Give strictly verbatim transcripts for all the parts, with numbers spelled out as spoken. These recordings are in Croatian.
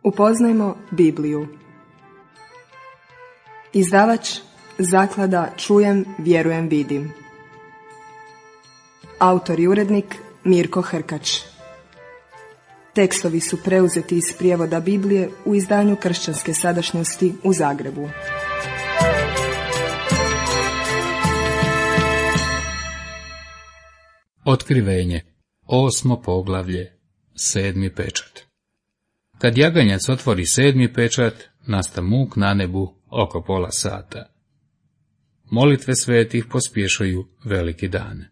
Upoznajmo Bibliju. Izdavač Zaklada Čujem, vjerujem, vidim. Autor i urednik Mirko Hrkač. Tekstovi su preuzeti iz prijevoda Biblije u izdanju Kršćanske sadašnjosti u Zagrebu. Otkrivenje, osmo poglavlje, sedmi pečat. Kad jaganjac otvori sedmi pečat, nasta muk na nebu oko pola sata. Molitve svetih pospješuju veliki dan.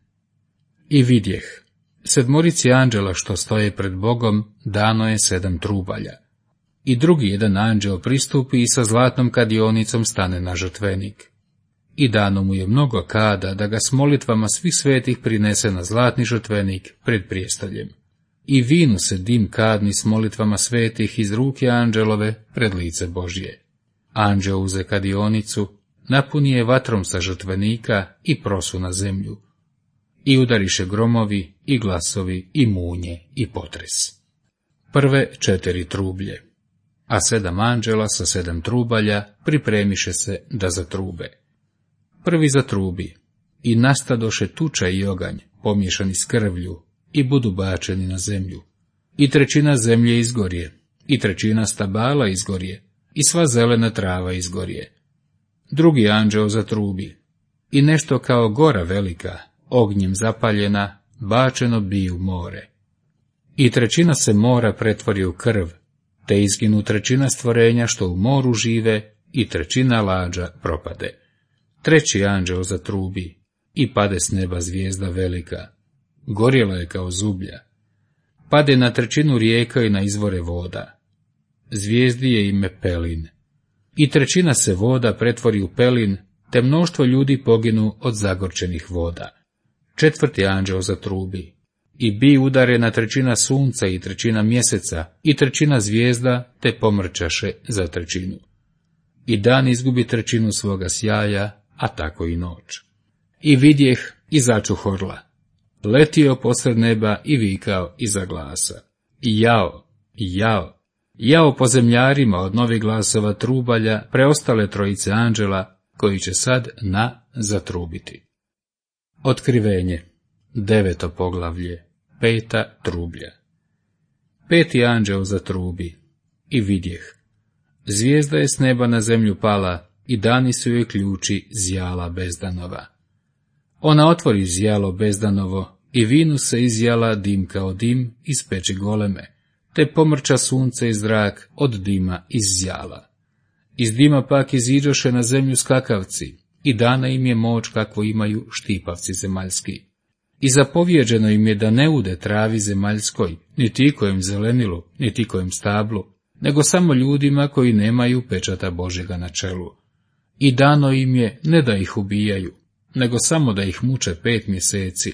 I vidjeh, sedmorici anđela što stoje pred Bogom dano je sedam trubalja. I drugi jedan anđel pristupi i sa zlatnom kadionicom stane na žrtvenik. I dano mu je mnogo kada da ga s molitvama svih svetih prinese na zlatni žrtvenik pred prijestoljem. I vinu se dim kadni s molitvama svetih iz ruke anđelove pred lice Božje. Anđel uze kadionicu, napuni je vatrom sa žrtvenika i prosu na zemlju. I udariše gromovi, i glasovi, i munje, i potres. Prve četiri trublje, a sedam anđela sa sedam trubalja pripremiše se da zatrube. Prvi zatrubi, i nastadoše tuča i oganj, pomiješani s krvlju, i budu bačeni na zemlju. I trećina zemlje izgorje, i trećina stabala izgorje, i sva zelena trava izgorje. Drugi anđeo zatrubi, i nešto kao gora velika, ognjem zapaljena, bačeno bi u more. I trećina se mora pretvori u krv, te izginu trećina stvorenja što u moru žive, i trećina lađa propade. Treći anđeo zatrubi, i pade s neba zvijezda velika, gorjela je kao zublja. Pade na trećinu rijeka i na izvore voda. Zvijezdi je ime Pelin. I trećina se voda pretvori u pelin, te mnoštvo ljudi poginu od zagorčenih voda. Četvrti anđeo zatrubi, i bi udarena trećina sunca i trećina mjeseca i trećina zvijezda, te pomrčaše za trećinu. I dan izgubi trećinu svoga sjaja, a tako i noć. I vidjeh i začuh orla. Letio posred neba i vikao iza glasa. I jao, i jao, jao po zemljarima od novih glasova trubalja preostale trojice anđela, koji će sad na zatrubiti. Otkrivenje, deveto poglavlje, peta trublja. Peti anđeo zatrubi, i vidjeh. Zvijezda je s neba na zemlju pala, i dani su joj ključi zjala bezdanova. Ona otvori zjalo bezdanovo, i vinu se izjala dim kao dim iz peći goleme, te pomrča sunce i zrak od dima iz zjala. Iz dima pak iziđoše na zemlju skakavci, i dana im je moć kakvu imaju štipavci zemaljski. I zapovjeđeno im je da ne ude travi zemaljskoj, niti ikojem zelenilu, niti ikojem stablu, nego samo ljudima koji nemaju pečata Božjega na čelu. I dano im je ne da ih ubijaju, nego samo da ih muče pet mjeseci,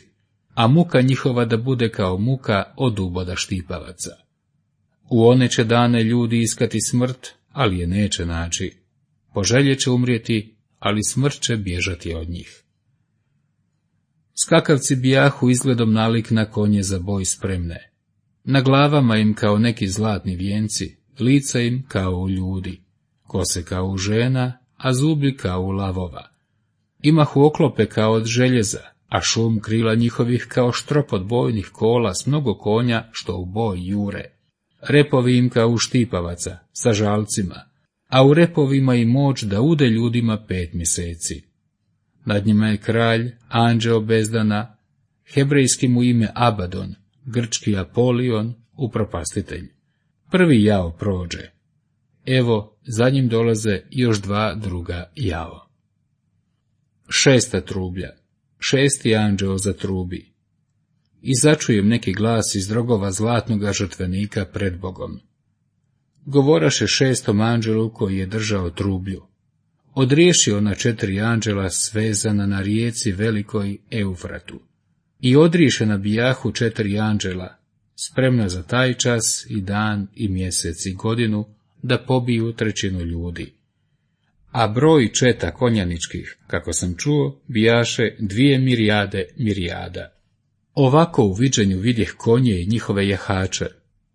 a muka njihova da bude kao muka od uboda štipavaca. U one će dane ljudi iskati smrt, ali je neće naći. Poželje će umrijeti, ali smrt će bježati od njih. Skakavci bijahu izgledom nalik na konje za boj spremne. Na glavama im kao neki zlatni vijenci, lica im kao u ljudi, kose kao u žena, a zubi kao u lavova. Imahu oklope kao od željeza, a šum krila njihovih kao štrop od bojnih kola s mnogo konja što u boj jure. Repovi im kao u štipavaca, sa žalcima, a u repovima i moć da ude ljudima pet mjeseci. Nad njima je kralj, anđeo bezdana, hebrejski mu ime Abadon, grčki Apolion, upropastitelj. Prvi jao prođe. Evo, za njim dolaze još dva druga jao. Šesta trublja. Šesti anđeo zatrubi. I začujem neki glas iz drogova zlatnoga žrtvenika pred Bogom. Govoraše šestom anđelu koji je držao trublju. Odriješi ona četiri anđela svezana na rijeci velikoj Eufratu. I odriješe na bijahu četiri anđela, spremna za taj čas i dan i mjesec i godinu, da pobiju trećinu ljudi. A broj četa konjaničkih, kako sam čuo, bijaše dvije mirijade mirijada. Ovako u viđenju vidjeh konje i njihove jahače.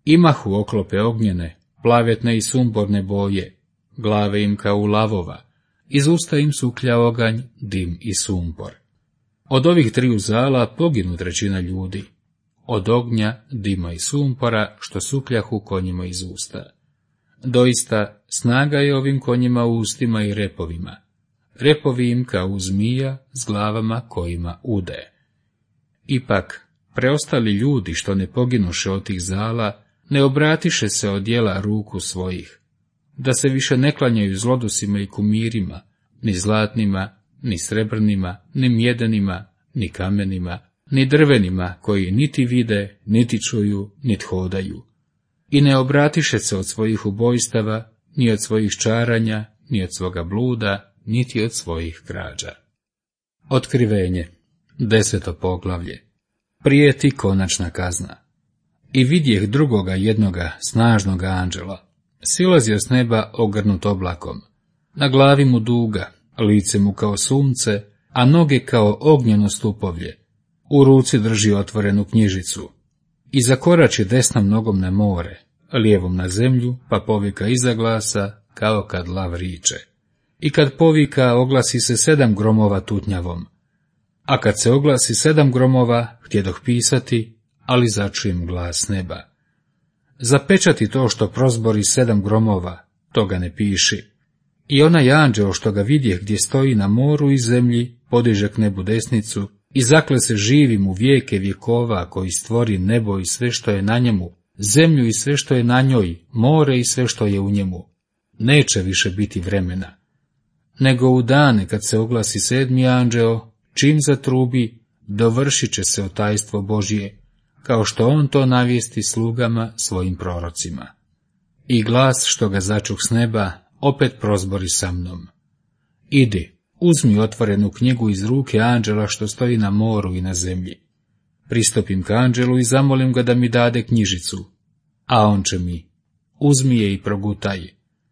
Imahu oklope ognjene, plavetne i sumporne boje, glave im kao lavova, iz usta im suklja oganj, dim i sumpor. Od ovih triju zala poginu trećina ljudi, od ognja, dima i sumpora, što sukljahu konjima iz usta. Doista, snaga je ovim konjima u ustima i repovima, repovi im kao zmija s glavama kojima ude. Ipak, preostali ljudi što ne poginuše od tih zala, ne obratiše se od djela ruku svojih, da se više ne klanjaju zlodusima i kumirima, ni zlatnima, ni srebrnima, ni mjedenima, ni kamenima, ni drvenima, koji niti vide, niti čuju, niti hodaju. I ne obratiše se od svojih ubojstava, ni od svojih čaranja, ni od svoga bluda, niti od svojih krađa. Otkrivenje, deseto poglavlje. Prijeti konačna kazna. I vidjeh drugoga jednoga snažnoga anđela, silazio s neba ogrnut oblakom, na glavi mu duga, lice mu kao sunce, a noge kao ognjeno stupovlje, u ruci drži otvorenu knjižicu, i zakorači desnom nogom na more, lijevom na zemlju, pa povika iza glasa, kao kad lav riče. I kad povika, oglasi se sedam gromova tutnjavom, a kad se oglasi sedam gromova, htjedoh pisati, ali začujem glas neba. Zapečati to što prozbori sedam gromova, toga ne piši. I onaj anđeo što ga vidje gdje stoji na moru i zemlji, podiže k nebu desnicu i zakle se živim u vijeke vjekova, koji stvori nebo i sve što je na njemu, zemlju i sve što je na njoj, more i sve što je u njemu. Neće više biti vremena. Nego u dane kad se oglasi sedmi anđeo, čim zatrubi, dovršit će se otajstvo Božije, kao što on to navijesti slugama svojim prorocima. I glas što ga začuh s neba, opet prozbori sa mnom. Idi, uzmi otvorenu knjigu iz ruke anđela što stoji na moru i na zemlji. Pristupim k anđelu i zamolim ga da mi dade knjižicu, a on će mi, uzmi je i progutaj.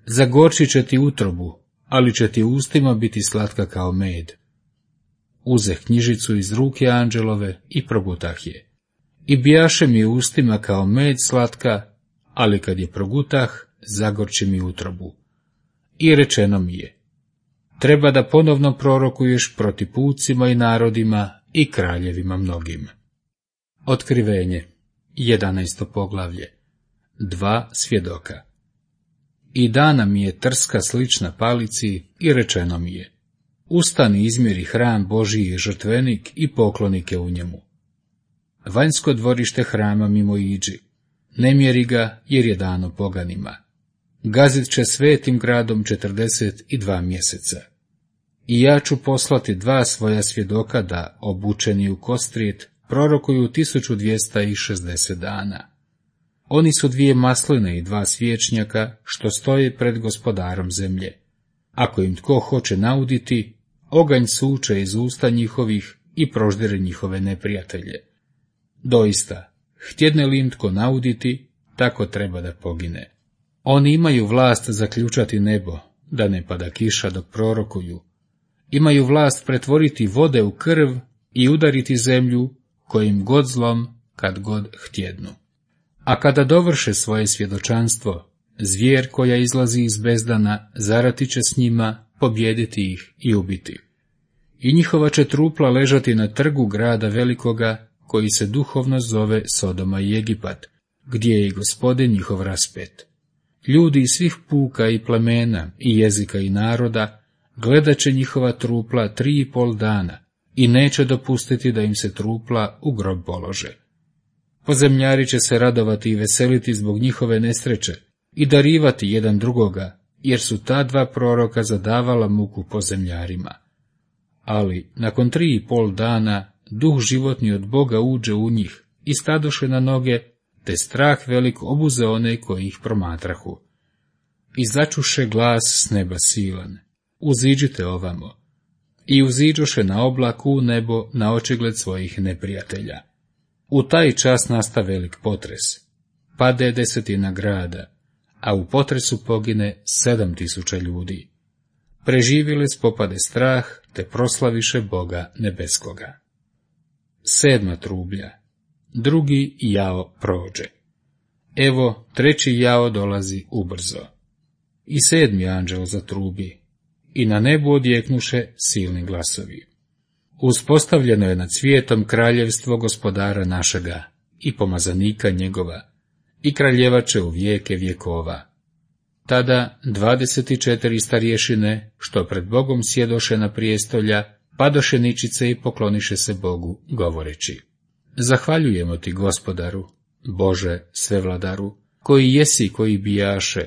Zagorčit će ti utrobu, ali će ti ustima biti slatka kao med. Uzeh knjižicu iz ruke anđelove i progutah je. I bijaše mi ustima kao med slatka, ali kad je progutah, zagorči mi utrobu. I rečeno mi je, treba da ponovno prorokuješ proti pucima i narodima i kraljevima mnogim. Otkrivenje, jedanaesto poglavlje. Dva svjedoka. I dana mi je trska slična palici i rečeno mi je, ustani izmjeri hram Božiji žrtvenik i poklonike u njemu. Vanjsko dvorište hrama mimo iđi, ne mjeri ga jer je dano poganima. Gazit će svetim gradom četrdeset i dva mjeseca. I ja ću poslati dva svoja svjedoka da, obučeni u kostrijet, prorokuju tisuću dvjesto šezdeset dana. Oni su dvije masline i dva svječnjaka, što stoje pred gospodarom zemlje. Ako im tko hoće nauditi, oganj suče iz usta njihovih i proždire njihove neprijatelje. Doista, htjedne li im tko nauditi, tako treba da pogine. Oni imaju vlast zaključati nebo, da ne pada kiša dok prorokuju. Imaju vlast pretvoriti vode u krv i udariti zemlju, kojim god zlom, kad god htjednu. A kada dovrše svoje svjedočanstvo, zvijer koja izlazi iz bezdana zarati će s njima, pobjediti ih i ubiti. I njihova će trupla ležati na trgu grada velikoga, koji se duhovno zove Sodoma i Egipat, gdje je i Gospodin njihov raspet. Ljudi iz svih puka i plemena, i jezika i naroda, gledat će njihova trupla tri i pol dana i neće dopustiti da im se trupla u grob polože. Pozemljari će se radovati i veseliti zbog njihove nesreće i darivati jedan drugoga, jer su ta dva proroka zadavala muku pozemljarima. Ali, nakon tri i pol dana, duh životni od Boga uđe u njih i stadoše na noge, te strah velik obuze one koji ih promatrahu. I začuše glas s neba silan, uziđite ovamo. I uziđoše na oblaku u nebo na očigled svojih neprijatelja. U taj čas nasta velik potres. Pade desetina grada, a u potresu pogine sedam tisuća ljudi. Preživjeli spopade strah, te proslaviše Boga nebeskoga. Sedma trublja. Drugi jao prođe. Evo, treći jao dolazi ubrzo. I sedmi anđeo zatrubi, i na nebu odjeknuše silni glasovi. Uspostavljeno je nad svijetom kraljevstvo gospodara našega i pomazanika njegova, i kraljevače u vijeke vjekova. Tada dvadeset četiri starješine, što pred Bogom sjedoše na prijestolja, padoše ničice i pokloniše se Bogu, govoreći: Zahvaljujemo ti, Gospodaru, Bože svevladaru, koji jesi koji bijaše,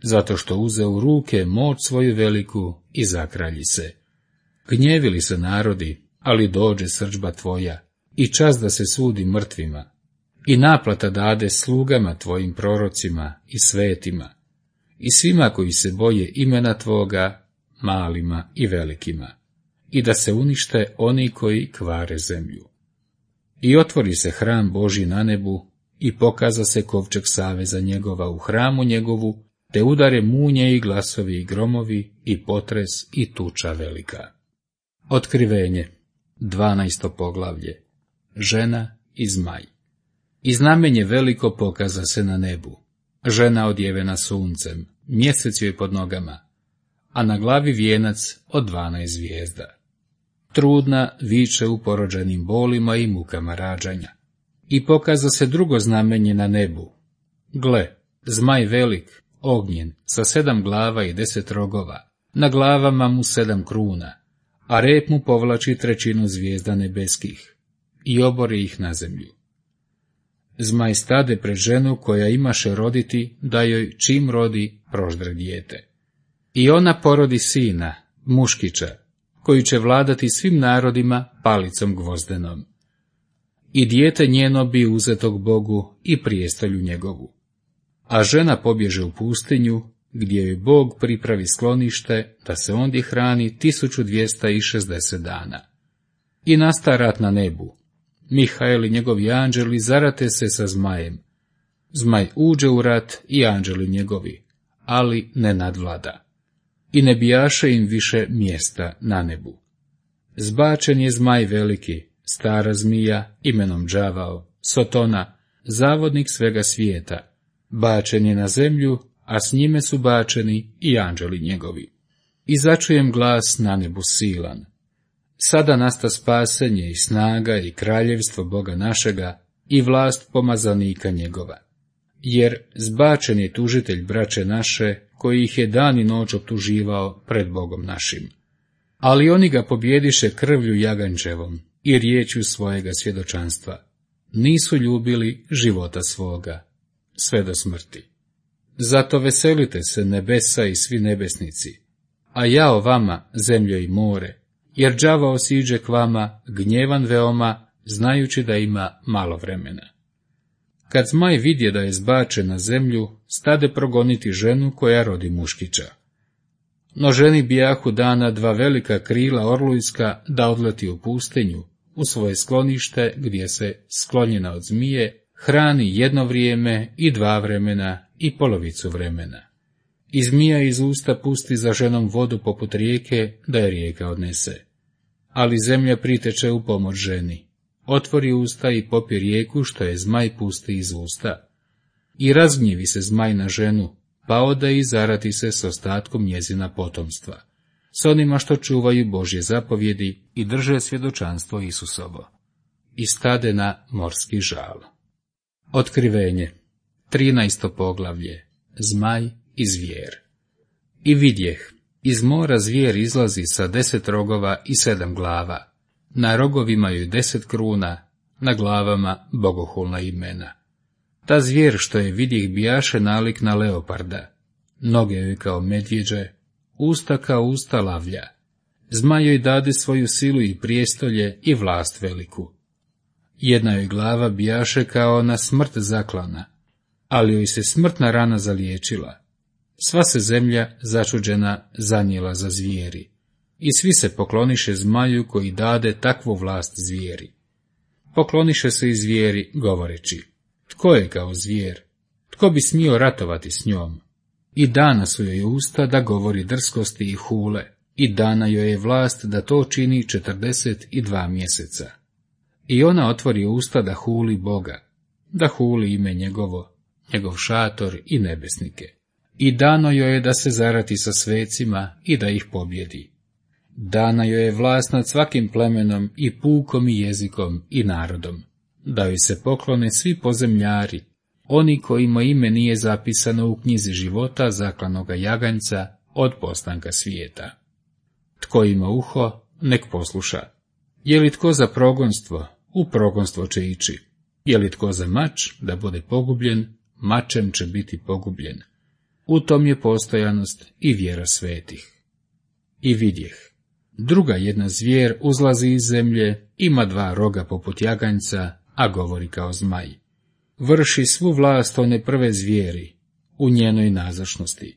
zato što uze u ruke moć svoju veliku i zakralji se. Gnjevili se narodi, ali dođe srdžba tvoja, i čas da se sudi mrtvima, i naplata dade slugama tvojim prorocima i svetima, i svima koji se boje imena tvoga, malima i velikima, i da se unište oni koji kvare zemlju. I otvori se hram Božji na nebu, i pokaza se kovčeg saveza njegova u hramu njegovu, te udare munje i glasovi i gromovi, i potres i tuča velika. Otkrivenje, dvanaesto poglavlje, žena i zmaj. I znamenje veliko pokaza se na nebu, žena odjevena suncem, mjesec joj pod nogama, a na glavi vijenac od dvanaest zvijezda. Trudna viče u porođenim bolima i mukama rađanja. I pokaza se drugo znamenje na nebu. Gle, zmaj velik, ognjen, sa sedam glava i deset rogova, na glavama mu sedam kruna, a rep mu povlači trećinu zvijezda nebeskih i obori ih na zemlju. Zmaj stade pred ženu koja imaše roditi, da joj čim rodi proždre dijete. I ona porodi sina, muškića, koji će vladati svim narodima palicom gvozdenom. I dijete njeno bi uzetog Bogu i prijestolju njegovu. A žena pobježe u pustinju, gdje joj Bog pripravi sklonište, da se ondje hrani tisuću dvjesto šezdeset dana. I nasta rat na nebu. Mihael i njegovi anđeli zarate se sa zmajem. Zmaj uđe u rat i anđeli njegovi, ali ne nadvlada. I ne bijaše im više mjesta na nebu. Zbačen je zmaj veliki, stara zmija, imenom đavao, Sotona, zavodnik svega svijeta. Bačen je na zemlju, a s njime su bačeni i anđeli njegovi. I začujem glas na nebu silan. Sada nasta spasenje i snaga i kraljevstvo Boga našega i vlast pomazanika njegova. Jer zbačen je tužitelj braće naše, koji ih je dan i noć optuživao pred Bogom našim. Ali oni ga pobjediše krvlju jagančevom i riječju svojega svjedočanstva. Nisu ljubili života svoga, sve do smrti. Zato veselite se nebesa i svi nebesnici, a jao vama, zemljo i more, jer đavao siđe k vama, gnjevan veoma, znajući da ima malo vremena. Kad zmaj vidje da je zbačen na zemlju, stade progoniti ženu koja rodi muškića. No ženi bijahu dana dva velika krila orlujska da odleti u pustinju, u svoje sklonište, gdje se, sklonjena od zmije, hrani jedno vrijeme i dva vremena i polovicu vremena. I zmija iz usta pusti za ženom vodu poput rijeke, da je rijeka odnese. Ali zemlja priteče u pomoć ženi. Otvori usta i popi rijeku, što je zmaj pusti iz usta. I razgnjevi se zmaj na ženu, pa ode i zarati se s ostatkom njezina potomstva, s onima što čuvaju Božje zapovjedi i drže svjedočanstvo Isusovo. I stade na morski žal. Otkrivenje, trinaesto poglavlje, zmaj i zvijer. I vidjeh, iz mora zvijer izlazi sa deset rogova i sedam glava, na rogovima joj deset kruna, na glavama bogohulna imena. Ta zvijer što je vidjeh bijaše nalik na leoparda, noge joj kao medvjeđe, usta kao usta lavlja. Zmaj joj dade svoju silu i prijestolje i vlast veliku. Jedna joj glava bijaše kao na smrt zaklana, ali joj se smrtna rana zaliječila. Sva se zemlja začuđena zanijela za zvijeri, i svi se pokloniše zmaju koji dade takvu vlast zvijeri. Pokloniše se i zvijeri, govoreći: tko je kao zvijer? Tko bi smio ratovati s njom? I dana su joj usta da govori drskosti i hule, i dana joj je vlast da to čini četrdeset i dva mjeseca. I ona otvori usta da huli Boga, da huli ime njegovo, njegov šator i nebesnike. I dano joj je da se zarati sa svecima i da ih pobjedi. Dana joj je vlast nad svakim plemenom i pukom i jezikom i narodom, da joj se poklone svi pozemljari, oni kojima ime nije zapisano u knjizi života zaklanoga jaganjca od postanka svijeta. Tko ima uho, nek posluša. Je li tko za progonstvo, u progonstvo će ići. Je li tko za mač, da bude pogubljen, mačem će biti pogubljen. U tom je postojanost i vjera svetih. I vidjeh. Druga jedna zvijer uzlazi iz zemlje, ima dva roga poput jaganjca, a govori kao zmaj. Vrši svu vlast one prve zvijeri, u njenoj nazočnosti.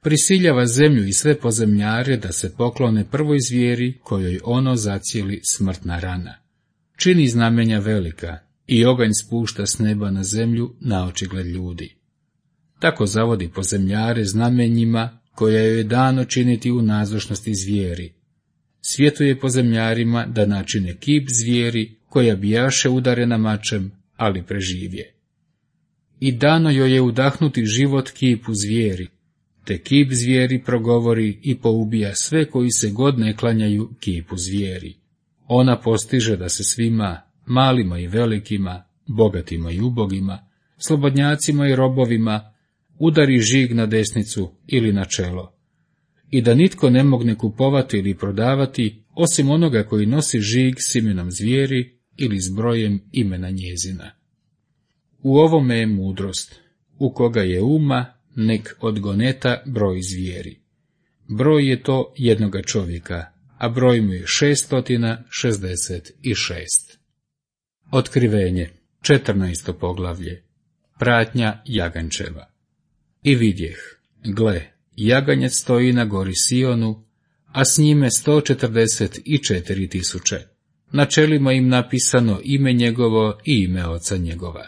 Prisiljava zemlju i sve pozemljare da se poklone prvoj zvijeri, kojoj ono zacijeli smrtna rana. Čini znamenja velika, i oganj spušta s neba na zemlju na očigled ljudi. Tako zavodi pozemljare znamenjima, koja joj je dano činiti u nazočnosti zvijeri. Svjetuje pozemljarima da načine kip zvijeri, koja bijaše udarena mačem, ali preživje. I dano joj je udahnuti život kipu zvijeri, te kip zvijeri progovori i poubija sve koji se god ne klanjaju kipu zvijeri. Ona postiže da se svima, malima i velikima, bogatima i ubogima, slobodnjacima i robovima, udari žig na desnicu ili na čelo, i da nitko ne mogne kupovati ili prodavati, osim onoga koji nosi žig s imenom zvijeri ili s brojem imena njezina. U ovome je mudrost, u koga je uma, nek odgoneta broj zvijeri. Broj je to jednoga čovjeka, a broj mu je šeststotina šezdeset šest. Otkrivenje, četrnaesto poglavlje, pratnja jagančeva. I vidjeh, gle, jaganjac stoji na gori Sionu, a s njime sto četrdeset četiri tisuće. Na čelima im napisano ime njegovo i ime oca njegova.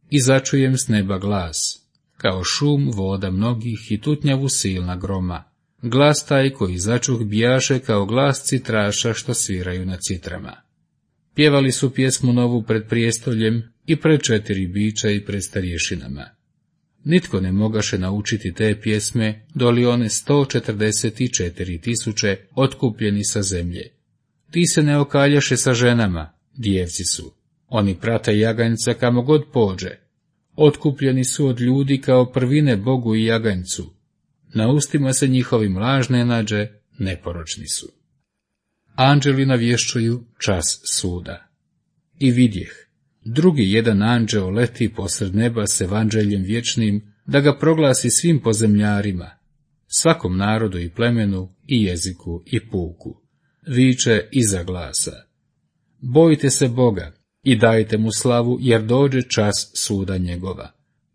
I začujem s neba glas, kao šum voda mnogih i tutnjavu silna groma. Glas taj koji začuh bijaše kao glas citraša što sviraju na citrama. Pjevali su pjesmu novu pred prijestoljem i pred četiri bića i pred starješinama. Nitko ne mogaše naučiti te pjesme, doli one sto četrdeset četiri tisuće otkupljeni sa zemlje. Ti se ne okaljaše sa ženama, djevci su. Oni prate jaganjca kamo god pođe. Otkupljeni su od ljudi kao prvine Bogu i jaganjcu. Na ustima se njihovim lažne nađe, neporočni su. Anđeli navješćuju čas suda. I vidjeh, drugi jedan anđeo leti posred neba s evanđeljem vječnim, da ga proglasi svim pozemljarima, svakom narodu i plemenu i jeziku i puku. Viče iza glasa: bojite se Boga i dajte mu slavu, jer dođe čas suda njegova.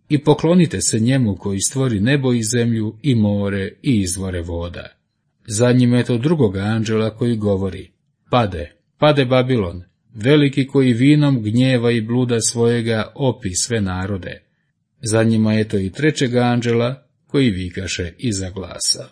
I poklonite se njemu koji stvori nebo i zemlju i more i izvore voda. Za njim je to drugoga anđela koji govori: pade, pade Babilon, veliki koji vinom gnjeva i bluda svojega opi sve narode. Za njima je to i trećega anđela koji vikaše iza glasa: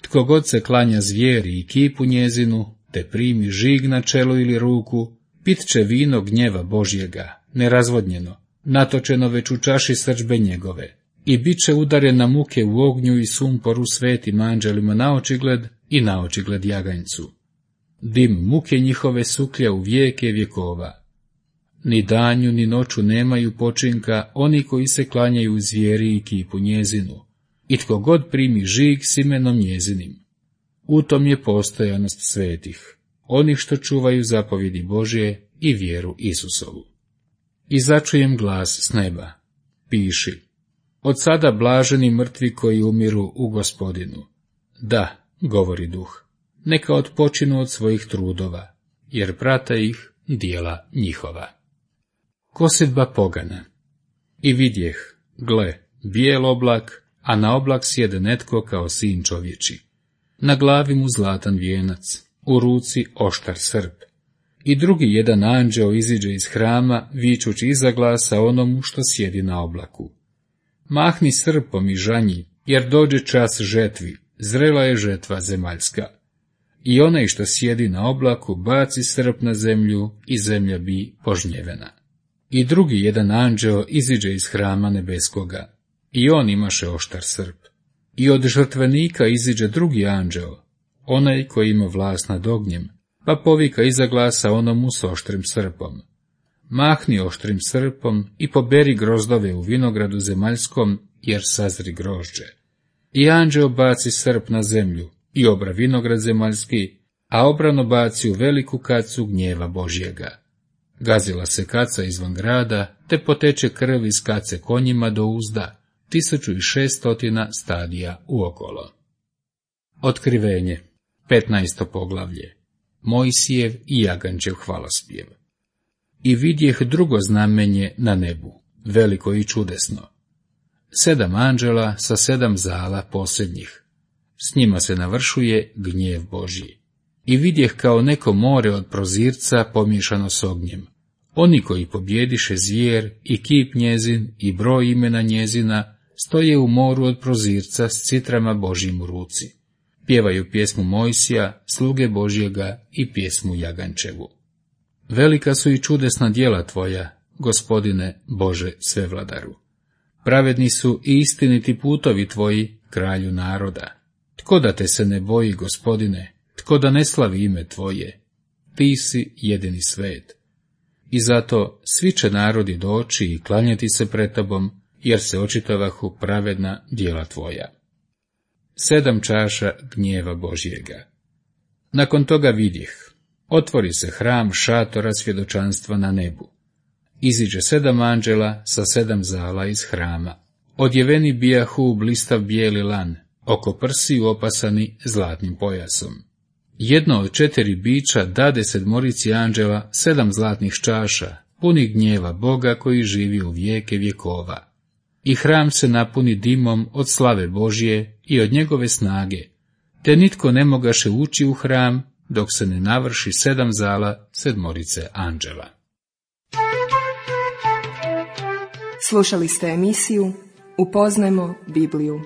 tko god se klanja zvijeri i kipu njezinu, te primi žig na čelo ili ruku, pit će vino gnjeva Božjega, nerazvodnjeno, natočeno već u čaši srdžbe njegove, i bit će udaren na muke u ognju i sumporu svetim anđelima na očigled i na očigled jaganjcu. Dim muke njihove suklja u vijeke vjekova. Ni danju ni noću nemaju počinka oni koji se klanjaju zvijeri i kipu njezinu, i tko god primi žig s imenom njezinim. U tom je postojanost svetih, onih što čuvaju zapovjedi Božje i vjeru Isusovu. I začujem glas s neba: piši, od sada blaženi mrtvi koji umiru u Gospodinu. Da, govori duh, neka odpočinu od svojih trudova, jer prate ih dijela njihova. Kosidba pogana. I vidjeh, gle, bijel oblak, a na oblak sjede netko kao sin čovječi. Na glavi mu zlatan vijenac, u ruci oštar srp. I drugi jedan anđeo iziđe iz hrama, vičući iza glasa onomu što sjedi na oblaku: mahni srpom i žanji, jer dođe čas žetvi, zrela je žetva zemaljska. I onaj što sjedi na oblaku baci srp na zemlju i zemlja bi požnjevena. I drugi jedan anđeo iziđe iz hrama nebeskoga, i on imaše oštar srp. I od žrtvenika iziđe drugi anđeo, onaj koji ima vlast nad ognjem, pa povika iza glasa onomu s oštrim srpom. Mahni oštrim srpom i poberi grozdove u vinogradu zemaljskom, jer sazri grožđe. I anđeo baci srp na zemlju i obra vinograd zemaljski, a obrano baci u veliku kacu gnjeva Božjega. Gazila se kaca izvan grada, te poteče krv iz kace konjima do uzda, tisuću i šeststotina stadija uokolo. Otkrivenje, petnaesto poglavlje. Mojsijev i Jagančev hvalospjev. I vidjeh drugo znamenje na nebu, veliko i čudesno. Sedam anđela sa sedam zala posljednjih. S njima se navršuje gnjev Božji. I vidjeh kao neko more od prozirca pomiješano s ognjem. Oni koji pobjediše zvijer i kip njezin i broj imena njezina, stoje u moru od prozirca s citrama Božjim u ruci. Pjevaju pjesmu Mojsija, sluge Božjega, i pjesmu Jagančevu. Velika su i čudesna djela tvoja, Gospodine Bože svevladaru. Pravedni su i istiniti putovi tvoji, kralju naroda. Tko da te se ne boji, Gospodine, tko da ne slavi ime tvoje? Ti si jedini svet. I zato svi će narodi doći i klanjati se pred tobom, jer se očitavahu pravedna djela tvoja. Sedam čaša gnjeva Božjega. Nakon toga vidjeh, otvori se hram šatora svjedočanstva na nebu. Iziđe sedam anđela sa sedam zala iz hrama. Odjeveni bijahu u blistav bijeli lan, oko prsiju opasani zlatnim pojasom. Jedno od četiri bića dade sedmorici anđela sedam zlatnih čaša, puni gnjeva Boga koji živi u vijeke vjekova. I hram se napuni dimom od slave Božje i od njegove snage, te nitko ne mogaše ući u hram, dok se ne navrši sedam zala sedmorice anđela. Slušali ste emisiju Upoznajmo Bibliju.